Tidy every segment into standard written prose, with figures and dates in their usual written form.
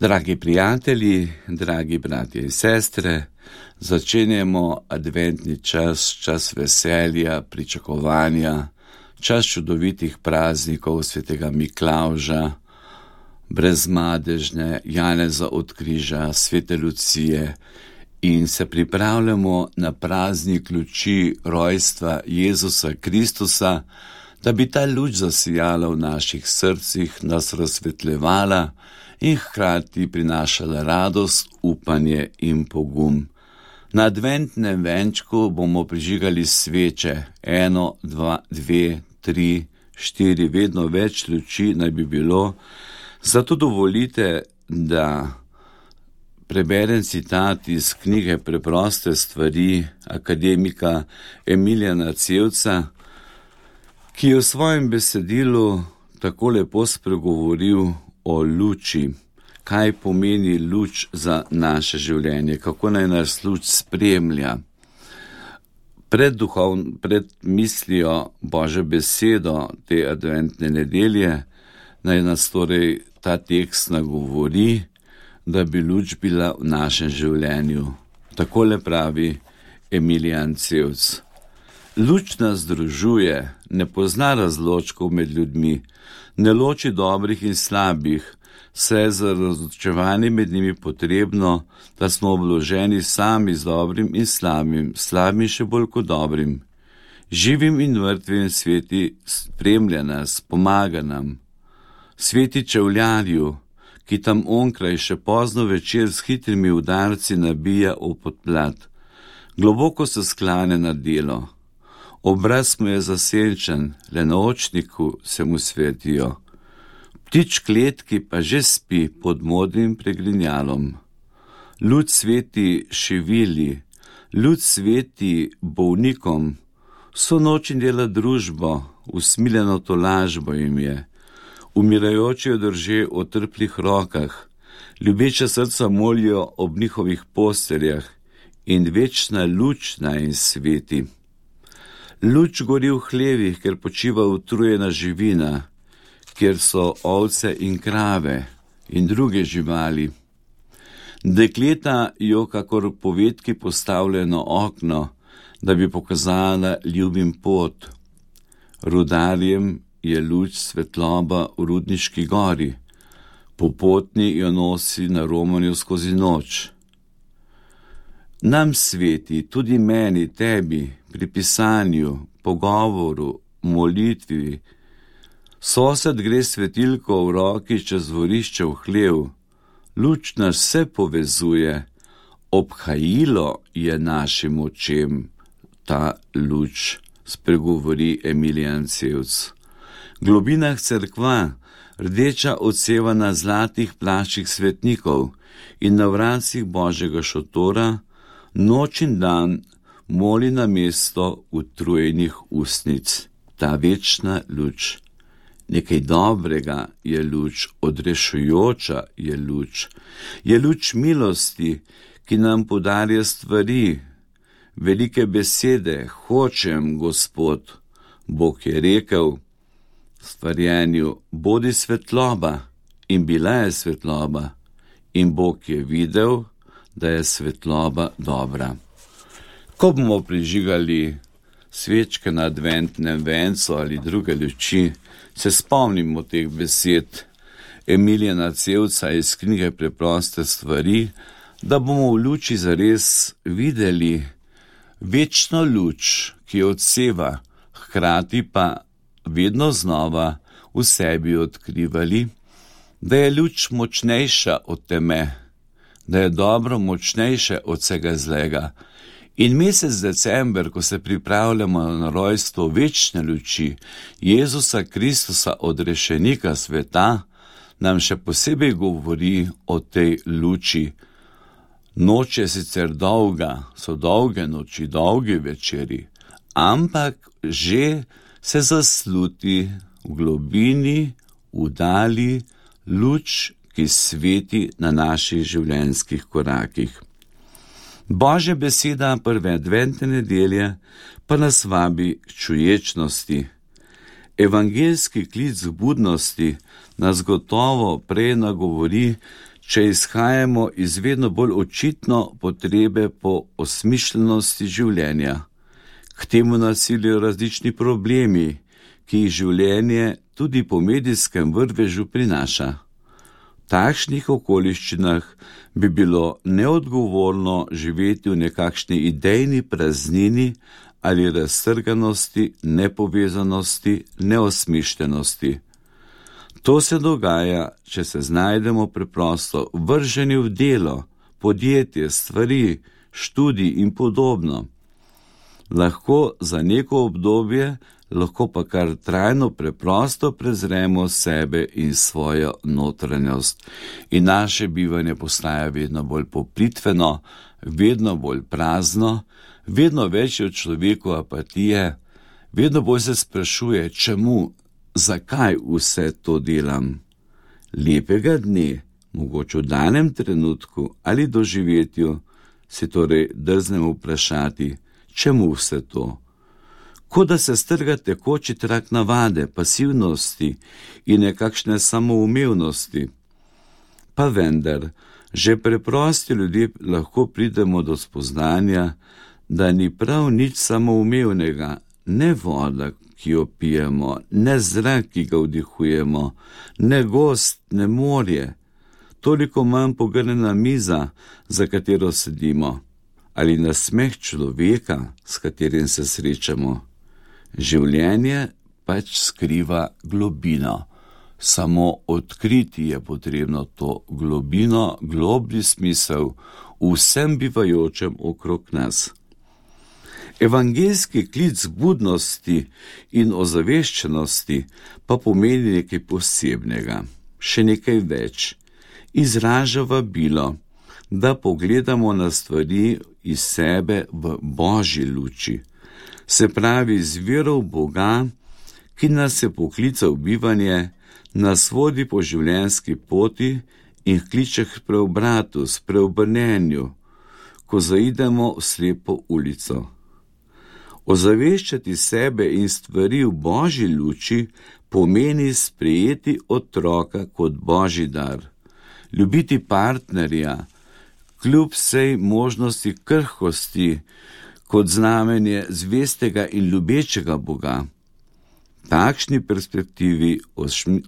Dragi prijatelji, dragi bratje in sestre, začenjamo adventni čas, čas veselja, pričakovanja, čas čudovitih praznikov svetega Miklavža, Brezmadežne, Janeza od Križa, svete Lucije in se pripravljamo na praznik luči rojstva Jezusa Kristusa, da bi ta luč zasijala v naših srcih, nas razsvetljevala in hkrati prinašala radost, upanje in pogum. Na adventnem venčku bomo prižigali sveče, 1, 2, 2, 3, 4, vedno več luči naj bi bilo. Zato dovolite, da preberem citat iz knjige Preproste stvari akademika Emilijana Cevca, ki je v svojem besedilu tako lepo spregovoril o luči, kaj pomeni luč za naše življenje, kako naj nas luč spremlja. Pred mislijo Božjo besedo te adventne nedelje naj nas torej ta tekst nagovori, da bi luč bila v našem življenju. Takole pravi Emilijan Cevc. Luč nas združuje, ne pozna razločkov med ljudmi, ne loči dobrih in slabih, saj je za razločevanje med njimi potrebno, da smo obloženi sami z dobrim in slabim še bolj kot dobrim. Živim in mrtvim sveti spremlja nas, pomaga nam. Sveti čevljarju, ki tam onkraj še pozno večer s hitrimi udarci nabija v podplat, globoko se sklane na delo. Obraz mu je zasenčen, le na očniku se mu svetijo. Ptič kletki pa že spi pod modrim pregrinjalom. Luč sveti šivili, luč sveti bolnikom, vso noč in dela družbo, usmiljeno tolažbo jim je. Umirajoči jo drže v trplih rokah, ljubeča srca molijo ob njihovih posteljah in večna luč naj jim sveti. Luč gori v hlevih, ker počiva utrujena živina, kjer so ovce in krave in druge živali. Dekleta jo kakor povedki postavljeno okno, da bi pokazala ljubim pot. Rudarjem je luč svetloba v Rudniški gori, popotni jo nosi na romanju skozi noč. Nam sveti, tudi meni, tebi, pri pisanju, pogovoru, molitvi. Sosed gre svetilko v roki čez dvorišče v hlev. Luč nas vse povezuje, obhajilo je našim očem. Ta luč, spregovori Emilijan Cevc. V globinah cerkva, rdeča odseva na zlatih plaščih svetnikov in na vratcih Božjega šotora, noč in dan moli na mesto utrujenih ustnic. Ta večna luč. Nekaj dobrega je luč, odrešujoča je luč. Je luč milosti, ki nam podarja stvari, velike besede, hočem, Gospod. Bog je rekel stvarjenju, bodi svetloba, in bila je svetloba, in Bog je videl, da je svetloba dobra. Ko bomo prižigali svečke na adventnem vencu ali druge luči, se spomnimo teh besed Emilijana Cevca iz knjige Preproste stvari, da bomo v luči zares videli večno luč, ki odseva, hkrati pa vedno znova v sebi odkrivali, da je luč močnejša od teme, da je dobro močnejše od vsega zlega. In mesec december, ko se pripravljamo na rojstvo večne luči Jezusa Kristusa, odrešenika sveta, nam še posebej govori o tej luči. Noč je sicer dolga, so dolge noči, dolgi večeri, ampak že se zasluti v globini, v dali luč, ki sveti na naših življenjskih korakih. Božja beseda prve adventne nedelje pa nas vabi k čuječnosti. Evangeljski klic k budnosti nas gotovo prej nagovori, če izhajamo iz vedno bolj očitno potrebe po osmišljenosti življenja. K temu nas silijo različni problemi, ki jih življenje tudi po medijskem vrvežu prinaša. V takšnih okoliščinah bi bilo neodgovorno živeti v nekakšni idejni praznini ali raztrganosti, nepovezanosti, neosmišljenosti. To se dogaja, če se znajdemo preprosto vrženi v delo, podjetje, stvari, študij in podobno. Lahko za neko obdobje, lahko pa kar trajno preprosto prezremo sebe in svojo notranjost. In naše bivanje postaja vedno bolj poplitveno, vedno bolj prazno, vedno več je v človeku apatije, vedno bolj se sprašuje, čemu, zakaj vse to delam. Lepega dne, mogoče v danem trenutku ali doživetju, si torej drznemo vprašati, čemu vse to? Kot da se strga tekoči trak navade, pasivnosti in nekakšne samoumevnosti. Pa vendar, že preprosti ljudje lahko pridemo do spoznanja, da ni prav nič samoumevnega, ne voda, ki jo pijemo, ne zrak, ki ga vdihujemo, ne gozd, ne morje, toliko manj pogrnjena miza, za katero sedimo, ali nasmeh človeka, s katerim se srečamo. Življenje pač skriva globino. Samo odkriti je potrebno to globino, globlji smisel vsem bivajočem okrog nas. Evangeljski klic budnosti in ozaveščenosti pa pomeni nekaj posebnega, še nekaj več. Izraža vabilo, da pogledamo na stvari iz sebe v Božji luči, se pravi z vero v Boga, ki nas je poklical v bivanje, nas vodi po življenjski poti in kliče k preobratu, spreobrnenju, ko zaidemo v slepo ulico. Ozaveščati sebe in stvari v Božji luči pomeni sprejeti otroka kot Božji dar, ljubiti partnerja, kljub vsej možnosti krhkosti, kot znamenje zvestega in ljubečega Boga. Takšni perspektivi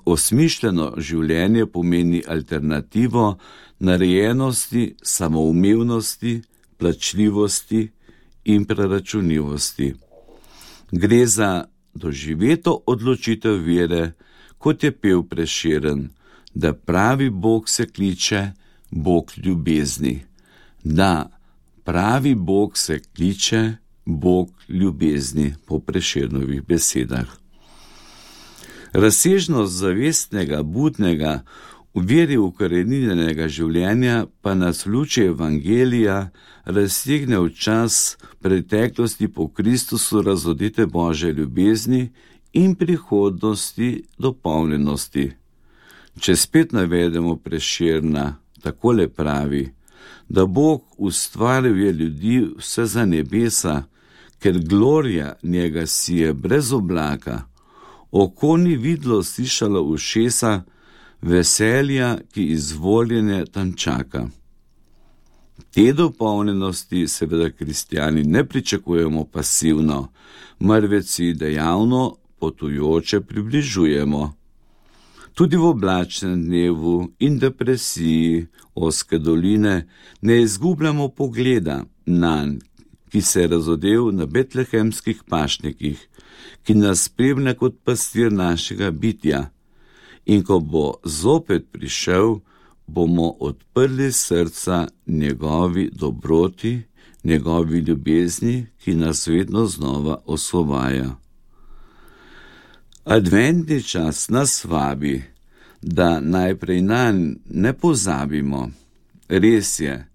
osmišljeno življenje pomeni alternativo narejenosti, samoumevnosti, plačljivosti in preračunljivosti. Gre za doživeto odločitev vere, kot je pel Prešeren, da pravi Bog se kliče Bog ljubezni. Da, pravi Bog se kliče Bog ljubezni, po Prešernovih besedah. Razsežnost zavestnega, budnega, v veri ukoreninjenega življenja pa nas v luči Evangelija raztegne v čas preteklosti po Kristusu razodete Božje ljubezni in prihodnosti dopolnjenosti. Če spet navedemo Prešerna, takole pravi, da Bog ustvaril je ljudi vse za nebesa, ker glorija njega sije brez oblaka, oko ni videlo, slišalo ušesa, veselja, ki izvoljene tam čaka. Te dopolnjenosti seveda kristjani ne pričakujemo pasivno, marveč si dejavno, potujoče približujemo. Tudi v oblačnem dnevu in depresiji ozke doline ne izgubljamo pogleda nanj, ki se je razodel na betlehemskih pašnikih, ki nas spremlja kot pastir našega bitja. In ko bo zopet prišel, bomo odprli srca njegovi dobroti, njegovi ljubezni, ki nas vedno znova osvobaja. Adventni čas nas vabi, da najprej nanj ne pozabimo. Res je,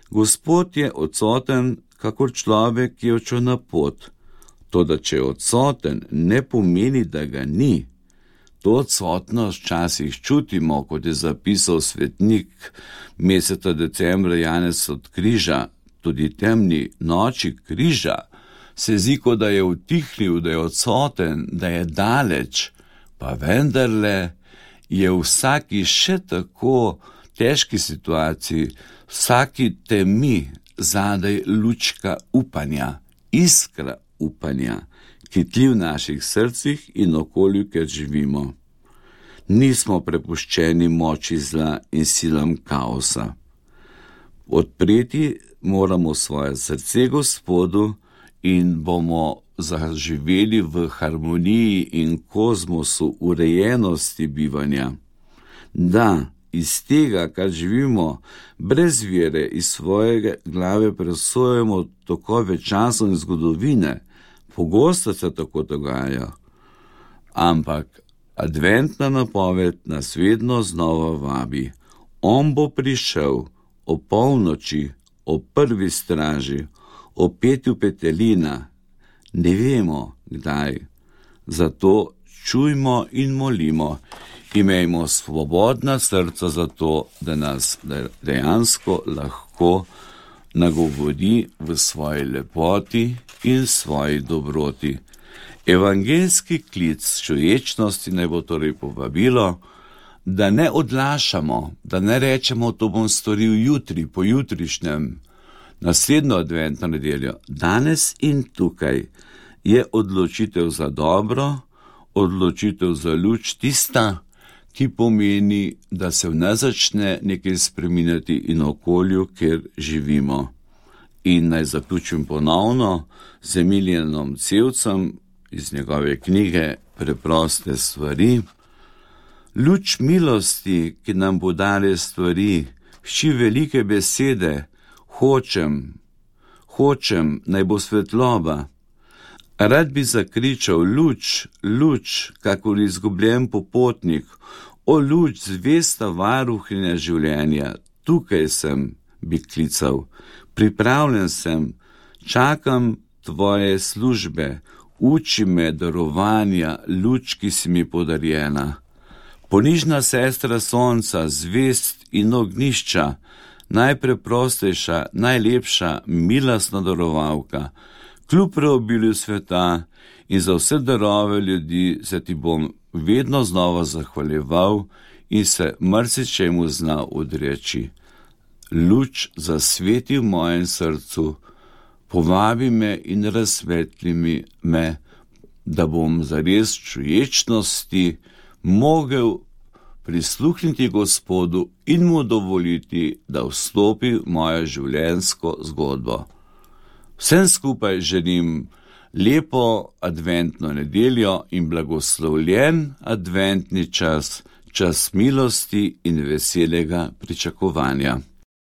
Gospod je odsoten, kakor človek, ki je odšel na pot. Toda če je odsoten, ne pomeni, da ga ni. To odsotnost včasih čutimo, kot je zapisal svetnik meseca decembra Janez od križa, tudi temni noči križa, se zdi, kot da je utihnil, da je odsoten, da je daleč, pa vendarle je vsaki še tako težki situaciji, vsaki temi zadaj lučka upanja, iskra upanja, ki tli v naših srcih in okolju, kjer živimo. Nismo prepuščeni moči zla in silam kaosa. Odpreti moramo svoje srce Gospodu in bomo zaživeli v harmoniji in kozmosu urejenosti bivanja. Da, iz tega, kar živimo, brez vere iz svoje glave presojamo tokove časov in zgodovine, pogosto se tako dogaja. Ampak adventna napoved nas vedno znova vabi. On bo prišel o polnoči, o prvi straži, o petju petelina. Ne vemo, kdaj. Zato čujmo in molimo. Imejmo svobodna srca za to, da nas dejansko lahko nagovori v svoji lepoti in svoji dobroti. Evangeljski klic človečnosti naj bo torej povabilo, da ne odlašamo, da ne rečemo, to bom storil jutri, pojutrišnjem, naslednjo adventno nedeljo. Danes in tukaj je odločitev za dobro, odločitev za luč tista, ki pomeni, da se v nas začne nekaj spreminjati in okolju, kjer živimo. In naj zaključim ponovno z Emilijanom Cevcem iz njegove knjige Preproste stvari. Luč milosti, ki nam podare stvari, hči velike besede, hočem, naj bo svetloba. Rad bi zakričal, luč, luč, kakor izgubljen popotnik, o luč, zvesta varuhinja življenja, tukaj sem, bi klical, pripravljen sem, čakam tvoje službe, uči me darovanja, luč, ki si mi podarjena. Ponižna sestra sonca, zvest in ognišča, najpreprostejša, najlepša, milostna darovalka, kljub preobilju sveta in za vse darove ljudi se ti bom vedno znova zahvaljeval in se marsičemu znal odreči. Luč zasveti v mojem srcu, povabi me in razsvetli me, da bom zares čuječnosti mogel prisluhniti Gospodu in mu dovoliti, da vstopi v mojo življenjsko zgodbo. Vsem skupaj želim lepo adventno nedeljo in blagoslovljen adventni čas, čas milosti in veselega pričakovanja.